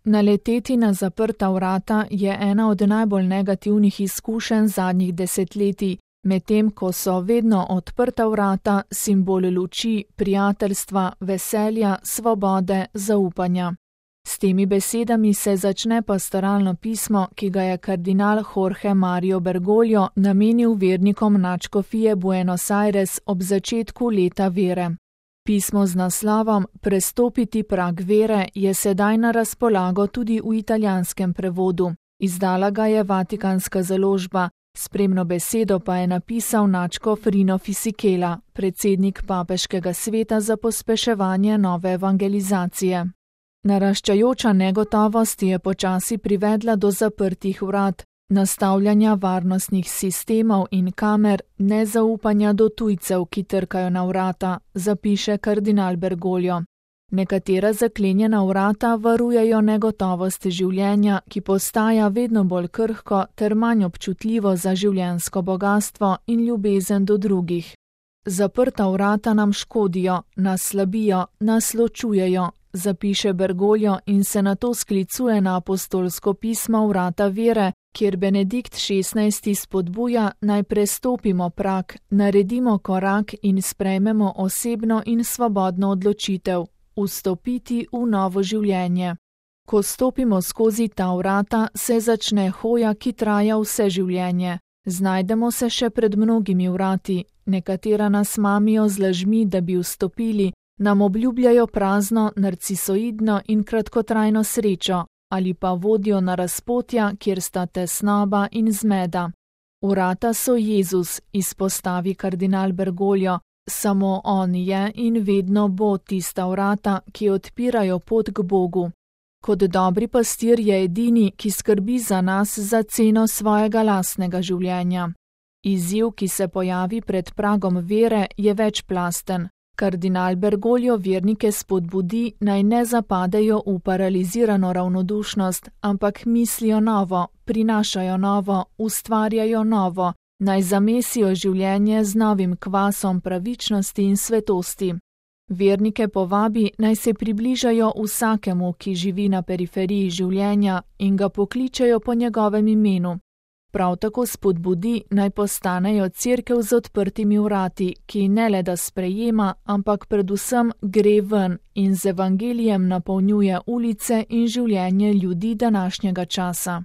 Naleteti na zaprta vrata je ena od najbolj negativnih izkušenj zadnjih desetletij, medtem ko so vedno odprta vrata simbol luči, prijateljstva, veselja, svobode, zaupanja. S temi besedami se začne pastoralno pismo, ki ga je kardinal Jorge Mario Bergoglio namenil vernikom nadškofije Buenos Aires ob začetku leta vere. Pismo z naslovom Prestopiti prag vere je sedaj na razpolago tudi v italijanskem prevodu. Izdala ga je Vatikanska založba, spremno besedo pa je napisal nadškof Rino Fisichella, predsednik papeškega sveta za pospeševanje nove evangelizacije. Naraščajoča negotovost je počasi privedla do zaprtih vrat, nastavljanja varnostnih sistemov in kamer, nezaupanja do tujcev, ki trkajo na vrata, zapiše kardinal Bergoglio. Nekatera zaklenjena vrata varujejo negotovost življenja, ki postaja vedno bolj krhko ter manj občutljivo za življenjsko bogastvo in ljubezen do drugih. Zaprta vrata nam škodijo, nas slabijo, nas ločujejo, zapiše Bergoglio in se nato sklicuje na apostolsko pismo Vrata vere, kjer Benedikt XVI spodbuja, naj prestopimo prag, naredimo korak in sprejmemo osebno in svobodno odločitev, vstopiti v novo življenje. Ko stopimo skozi ta vrata, se začne hoja, ki traja vse življenje. Znajdemo se še pred mnogimi vrati, nekatera nas mamijo z lažmi, da bi vstopili, nam obljubljajo prazno, narcisoidno in kratkotrajno srečo, ali pa vodijo na razpotja, kjer sta tesnoba in zmeda. Vrata so Jezus, izpostavi kardinal Bergoglio, samo on je in vedno bo tista vrata, ki odpirajo pot k Bogu. Kot dobri pastir je edini, ki skrbi za nas za ceno svojega lastnega življenja. Izziv, ki se pojavi pred pragom vere, je večplasten. Kardinal Bergoglio vernike spodbudi, naj ne zapadejo v paralizirano ravnodušnost, ampak mislijo novo, prinašajo novo, ustvarjajo novo, naj zamesijo življenje z novim kvasom pravičnosti in svetosti. Vernike povabi, naj se približajo vsakemu, ki živi na periferiji življenja in ga pokličejo po njegovem imenu. Prav tako spodbudi, naj postanejo cerkev z odprtimi vrati, ki ne le da sprejema, ampak predvsem gre ven in z evangelijem napolnjuje ulice in življenje ljudi današnjega časa.